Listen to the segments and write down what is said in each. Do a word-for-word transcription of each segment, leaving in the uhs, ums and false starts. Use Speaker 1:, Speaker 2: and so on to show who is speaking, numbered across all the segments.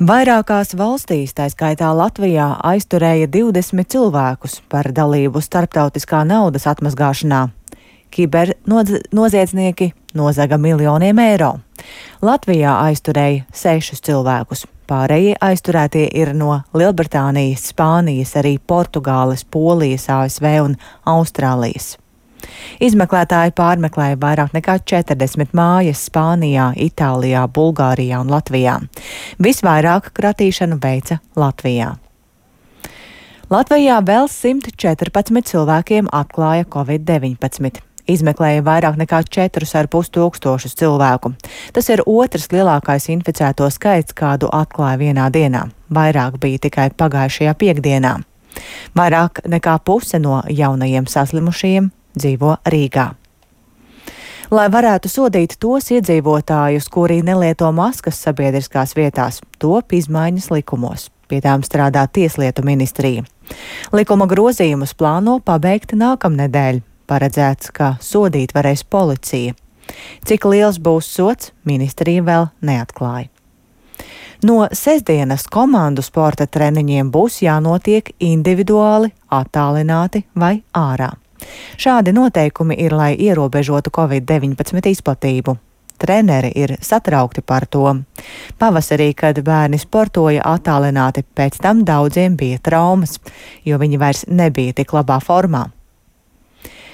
Speaker 1: Vairākās valstīs, tā skaitā Latvijā, aizturēja divdesmit cilvēkus par dalību starptautiskā naudas atmazgāšanā. Kibernoziedznieki nozaga miljoniem eiro. Latvijā aizturēja sešus cilvēkus. Pārējie aizturētie ir no Lielbritānijas, Spānijas, arī Portugāles, Polijas, A S V un Austrālijas. Izmeklētāji pārmeklēja vairāk nekā četrdesmit mājas Spānijā, Itālijā, Bulgārijā un Latvijā. Visvairāk kratīšanu veica Latvijā. Latvijā vēl simt četrpadsmit cilvēkiem atklāja covid deviņpadsmit. Izmeklēja vairāk nekā četrus ar pus tūkstošus cilvēku. Tas ir otrs lielākais inficēto skaits, kādu atklāja vienā dienā. Vairāk bija tikai pagājušajā piekdienā. Vairāk nekā puse no jaunajiem saslimušajiem dzīvo Rīgā. Lai varētu sodīt tos iedzīvotājus, kuri nelieto maskas sabiedriskās vietās, top izmaiņas likumos. Pie tām strādā Tieslietu ministrija. Likuma grozījumus plāno pabeigt nākamnedēļ. Paredzēts, ka sodīt varēs policija. Cik liels būs sods, ministrija vēl neatklāja. No sestdienas komandu sporta treniņiem būs jānotiek individuāli, attālināti vai ārā. Šādi noteikumi ir, lai ierobežotu covid deviņpadsmit izplatību. Treneri ir satraukti par to. Pavasarī, kad bērni sportoja attālināti, pēc tam daudziem bija traumas, jo viņi vairs nebija tik labā formā.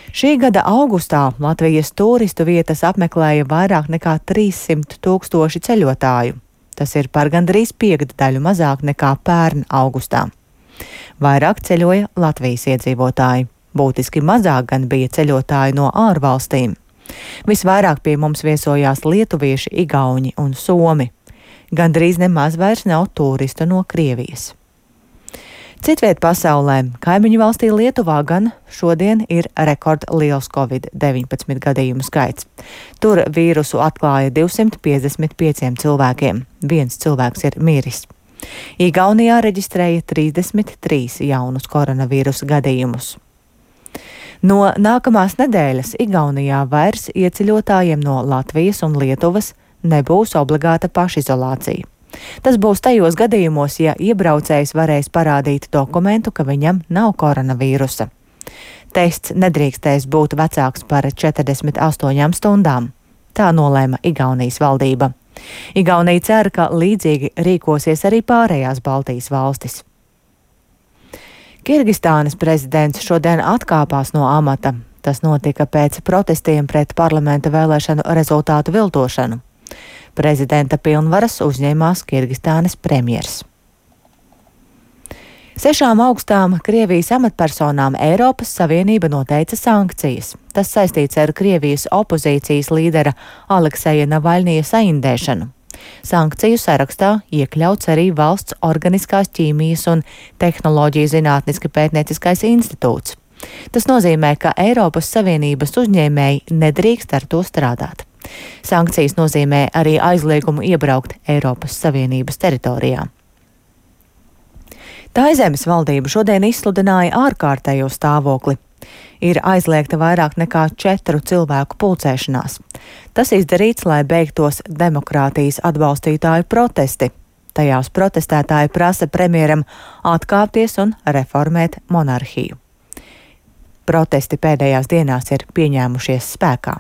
Speaker 1: Šī gada augustā Latvijas turistu vietas apmeklēja vairāk nekā trīssimt tūkstoši ceļotāju. Tas ir par gandrīz piekdaļu mazāk nekā pērn augustā. Vairāk ceļoja Latvijas iedzīvotāji. Būtiski mazāk gan bija ceļotāji no ārvalstīm. Visvairāk pie mums viesojās lietuvieši, igauņi un somi. Gandrīz nemaz vairs nav turistu no Krievijas. Citviet pasaulē, kaimiņu valstī Lietuvā gan šodien ir rekordliels covid deviņpadsmit gadījumu skaits. Tur vīrusu atklāja divsimt piecdesmit pieciem cilvēkiem. Viens cilvēks ir miris. Igaunijā reģistrēja trīsdesmit trīs jaunus koronavīrusa gadījumus. No nākamās nedēļas Igaunijā vairs ieceļotājiem no Latvijas un Lietuvas nebūs obligāta pašizolācija. Tas būs tajos gadījumos, ja iebraucējs varēs parādīt dokumentu, ka viņam nav koronavīrusa. Tests nedrīkstēs būt vecāks par četrdesmit astoņām stundām. Tā nolēma Igaunijas valdība. Igaunija cer, ka līdzīgi rīkosies arī pārējās Baltijas valstis. Kirgistānas prezidents šodien atkāpās no amata. Tas notika pēc protestiem pret parlamenta vēlēšanu rezultātu viltošanu. Prezidenta pilnvaras uzņēmās Kirgistānas premjers. Sešām augstām Krievijas amatpersonām Eiropas Savienība noteica sankcijas. Tas saistīts ar Krievijas opozīcijas līdera Alekseja Navaļnija saindēšanu. Sankciju sarakstā iekļauts arī valsts organiskās ķīmijas un tehnoloģiju zinātniski pētnieciskais institūts. Tas nozīmē, ka Eiropas Savienības uzņēmēji nedrīkst ar to strādāt. Sankcijas nozīmē arī aizliegumu iebraukt Eiropas Savienības teritorijā. Taizemes valdība šodien izsludināja ārkārtējo stāvokli. Ir aizliegta vairāk nekā četru cilvēku pulcēšanās. Tas izdarīts, lai beigtos demokrātijas atbalstītāju protesti. Tajās protestētāji prasa premjeram atkāpties un reformēt monarhiju. Protesti pēdējās dienās ir pieņēmušies spēkā.